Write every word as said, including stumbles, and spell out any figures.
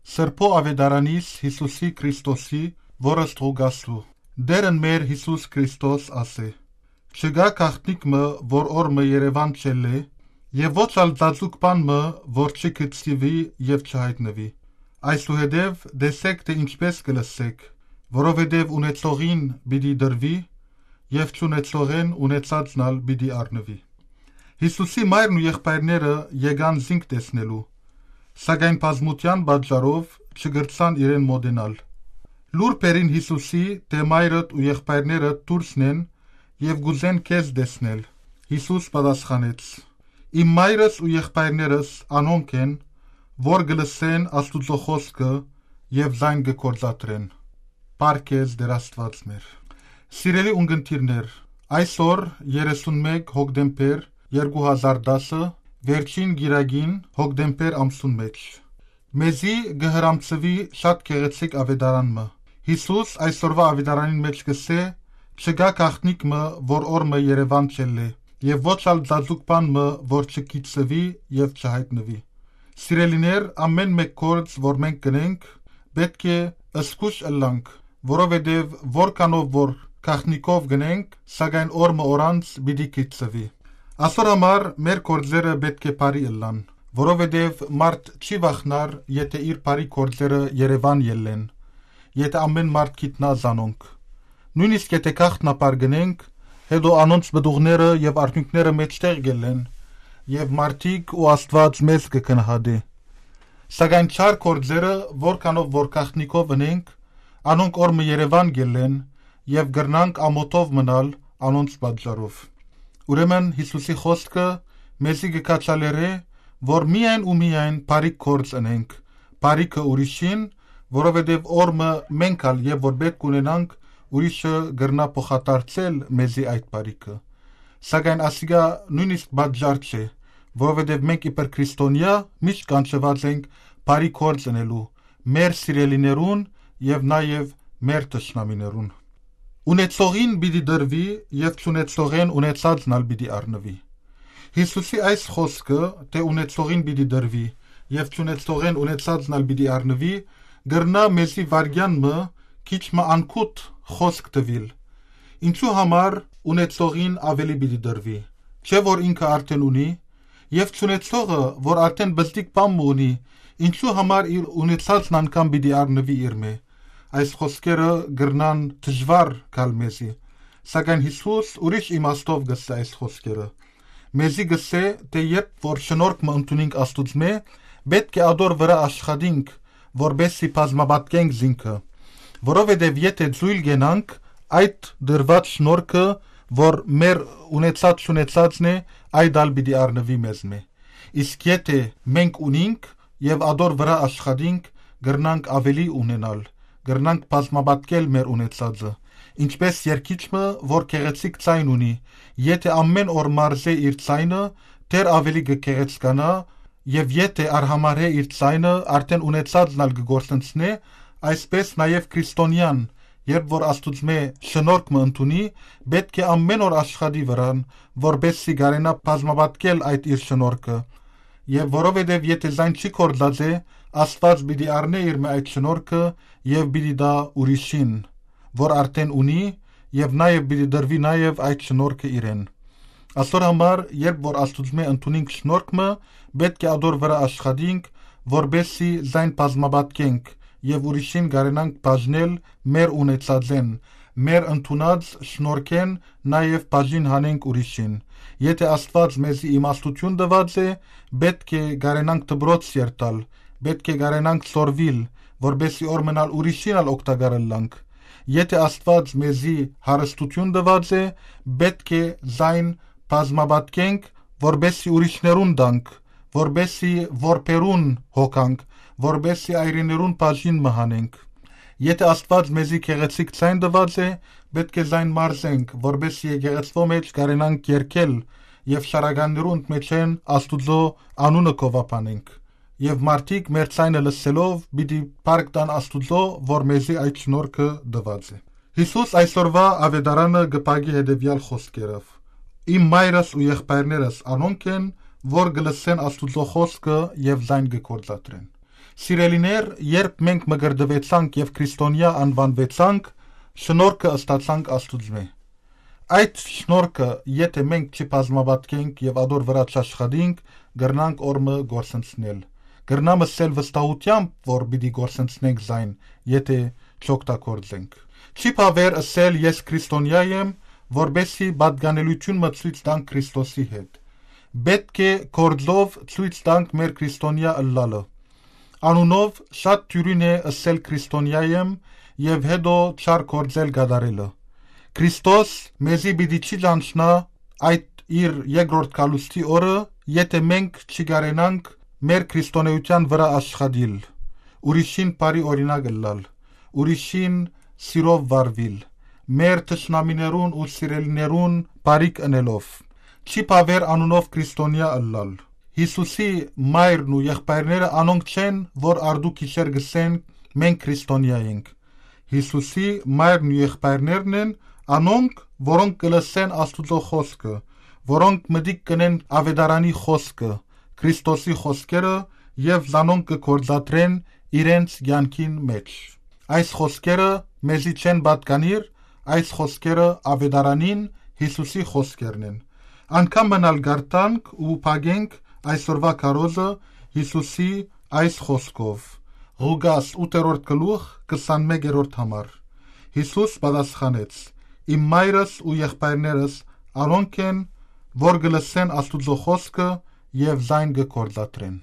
Սրբոյ աւետարանիս Յիսուսի Քրիստոսի, որ ըստ Ղուկասու։ Տէրն մեր Յիսուս Քրիստոս ասէ. «Չկայ գաղտնիք մը, որ օր մը երեւան չելլէ, եւ ոչ ալ ծածուկ բան մը, որ չգցուի եւ չյայտնուի։ Այսուհետեւ տեսէք թէ ինչպէս կը լսէք, որովհետեւ ունեցողին պիտի տրուի, եւ չունեցողէն ունեցածն ալ պիտի առնուի»։ Յիսուսի մայրն ու եղբայրները եկան զինք տեսնելու, սակայն բազմութեան պատճառով չկրցան իրեն մօտենալ։ Լուր բերին Յիսուսի թէ մայրդ ու եղբայրներդ դուրսն են եւ կ'ուզեն քեզ տեսնել։ Յիսուս պատասխանեց. «Իմ մայրս ու եղբայրներս անոնք են, որ կը լսեն Աստուծոյ խօսքը եւ զայն կը գործադրեն»։ Փառք քեզ, Տէր Աստուած մեր։ Սիրելի ունկնդիրներ, այսօր երեսունմէկ հոկտեմբեր երկու հազար տասը, վերջին կիրակին հոկտեմբեր ամսուն մէջ, մեզի կը հրամցուի շատ գեղեցիկ աւետարան մը։ Յիսուս այսօրուայ աւետարանին մէջ կ'ըսէ. «Չկայ գաղտնիք մը, որ օր մը երեւան չելլէ, եւ ոչ ալ ծածուկ բան մը, որ չգիծուի եւ չյայտնուի»։ Սիրելիներ, ամէն մէկ գործ, որ մենք կ'ընենք, պէտք է զգոյշ ըլլանք, որովհետեւ որքանով որ գաղտնիքով կ'ընենք, սակայն օր մը օր անց պիտի գիծուի։ Ասոր համար մեր գործերը պէտք է բարի ըլլան, որովհետեւ մարդ չի վախնար, եթէ իր բարի գործերը երեւան ելլեն, եթէ ամէն մարդ գիտնայ զանոնք։ Նոյնիսկ եթէ գաղտնաբար կ'ընենք, հետո անոնց պտուղները եւ արդիւնքները մէջտեղ կ'ելլեն, եւ մարդիկ ու Աստուած մեզ կը գնահատէ։ Սակայն չար գործերը, որքանով որ գաղտնիքով ընենք, անոնք օր մը երեւան կ'ելլեն եւ կրնանք ամօթով մնալ անոնց պատճառով։ Ուրեմն Յիսուսի խօսքը մեզի կը քաջալերէ, որ միայն ու միայն բարի գործ ընենք, բարիքը ուրիշին, որովհետեւ օր մը մենք ալ եւ որ պէտք ունենանք, ուրիշը կրնայ փոխադարձել մեզի այդ բարիքը։ Սակայն ասիկա նոյնիսկ պատճառ չէ, որովհետեւ մենք իբր քրիստոնեայ միշտ կանչուած ենք բարի գործ ընելու մեր սիրելիներուն եւ նաեւ մեր թշնամիներուն։ «Ունեցողին պիտի տրուի եւ չունեցողէն ունեցածն ալ պիտի առնուի»։ Յիսուսի այս խօսքը, թէ «ունեցողին պիտի տրուի եւ չունեցողէն ունեցածն ալ պիտի առնուի», կրնայ մեզի վայրկեան մը քիչ մը անգութ խօսք տուիլ։ Ինչու համար ունեցողին աւելի պիտի տրուի, չէ՞ որ ինքը արդէն ունի, եւ չունեցողը, որ արդէն պզտիկ բան մը ունի, ինչու համար իր ունեցածն անգամ պիտի առնուի իրմէ։ Այս խօսքերը կրնան դժուար գալ մեզի, սակայն Յիսուս ուրիշ իմաստով կ'ըսէ այս խօսքերը։ Մեզի կ'ըսէ, թէ երբ որ շնորհք մը ընդունինք Աստուծմէ, պէտք է ատոր վրայ աշխատինք, որպէս զի բազմապատկենք զինքը, որովհետեւ եթէ ձոյլ կենանք, այդ տրուած շնորհքը, որ մեր ունեցած չունեցածն է, այդ ալ պիտի առնուի մեզմէ։ Իսկ եթէ մենք ունինք եւ ատոր վրայ աշխատինք, կրնանք աւելի ունենալ, կրնանք բազմապատկել մեր ունեցածը, ինչպէս երգիչ մը, որ գեղեցիկ ձայն ունի, եթէ ամէն օր մարզէ իր ձայնը, դեռ աւելի կը գեղեցկանայ, եւ եթէ արհամարհէ իր ձայնը, արդէն ունեցածն ալ կը գործընծնէ, այսպէս նաեւ քրիստոնեան, երբ որ Աստուծմէ շնորհք մը ընդունի, պէտք է ամէն օր աշխատի վրան, որպէս զի կարենայ բազմապատկել այդ իր շնորհքը։ Եւ որովհետեւ եթէ զայն չի գործած է, Աստուած պիտի առնէ իրմէ այդ շնորհքը եւ պիտի տայ ուրիշին, որ արդէն ունի, եւ նաեւ պիտի տրուի նաեւ այդ շնորհքը իրեն։ Ասոր համար, երբ որ Աստուծմէ ընդունինք շնորհք մը, պէտք է ատոր վրայ աշխատինք, որպէս զի զայն բազմապատկենք եւ ուրիշին կարենանք բաժնել մեր ունեցածէն, մեր ընդունած շնորհքէն, նաեւ բաժին հանենք ուրիշին։ Եթէ Աստուած մեզի իմաստութիւն տուած է, պէտք է կարենանք դպրոց երթալ, պէտք է կարենանք սորվիլ, որպէս զի օր մնալ ուրիշին ալ օգտակար ըլլանք։ Եթէ Աստուած մեզի հարստութիւն տուած է, պէտք է զայն բազմապատկենք, որպէս զի ուրիշներուն տանք, որպէս զի որբերուն հոգանք, որպէս զի այրիներուն բաժին մը հանենք։ Եթէ Աստուած մեզի գեղեցիկ ձայն տուած է, պէտք է զայն մարզենք, որպէս զի եկեղեցւոյ մէջ կարենանք երգել եւ շարականներուն մէջէն Աստուծոյ անունը գովաբանենք։ Եւ մարդիկ մեր ձայնը լսելով պիտի փառք տան Աստուծոյ, որ մեզի այդ շնորհքը տուած է։ Յիսուս այսօրուայ աւետարանը կը փակի հետեւեալ խօսքերով. «Իմ մայրս ու եղբայրներս անոնք են, որ կը լսեն Աստուծոյ խօսքը եւ զայն կը գործադրեն»։ Սիրելիներ, երբ մենք մկրտուեցանք եւ քրիստոնեայ անուանուեցանք, շնորհքը ստացանք Աստուծմէ։ Այդ շնորհքը, եթե մենք չի բազմապատկենք եւ ադոր վրայ չաշխատենք, կրնանք օր մը կորսնցնել։ Կրնամ ըսել վստահութեամբ, որ պիտի կորսնցնենք զայն, եթե չօգտագործենք։ Չի բաւեր ըսել «Ես քրիստոնեայ եմ», որպեսզի պատկանելիություն մը ցոյց տանք Քրիստոսի հետ։ Պէտք է գործով ցոյց տանք մեր քրիստոնեայ ըլլալը։ Անունով շատ դիւրին է ըսել «Քրիստոնեայ եմ» եւ հետո չար գործեր կատարելը։ Քրիստոս մեզի պիտի չի ճանչնայ այդ իր երկրորդ գալուստի օրը, եթե մենք չի կարենանք մեր քրիստոնեության վրայ աշխատիլ, ուրիշին բարի օրինակ ըլլալ, ուրիշին սիրով վարուիլ, մեր թշնամիներուն ու սիրելիներուն բարիք ընելով։ Չի բաւեր անունով քրիստոնեայ ըլլալ։ Յիսուսի մայրն ու եղբայրները անոնք չեն, որ արդու գիշեր կ'ըսեն. «Մենք քրիստոնեայ ենք»։ Յիսուսի մայրն ու եղբայրներն են անոնք, որոնք կը լսեն Աստուծոյ խօսքը, որոնք մտիկ կ'ընեն աւետարանի խօսքը, Քրիստոսի խօսքերը, եւ զանոնք կը գործադրեն իրենց կեանքին մէջ։ Այս խօսքերը մեզի չեն պատկանիր, այս խօսքերը աւետարանին, Յիսուսի խօսքերն են։ Անկամ մըն ալ կարդանք ու փակենք այսօրուայ քարոզը Յիսուսի այս խօսքով։ Ղուկաս ութերորդ գլուխ, քսանմեկերորդ համար։ Յիսուս պատասխանեց. «Իմ մայրս ու եղբայրներս անոնք են, որ կը լսեն Աստուծոյ խօսքը եւ զայն կը գործադրեն»։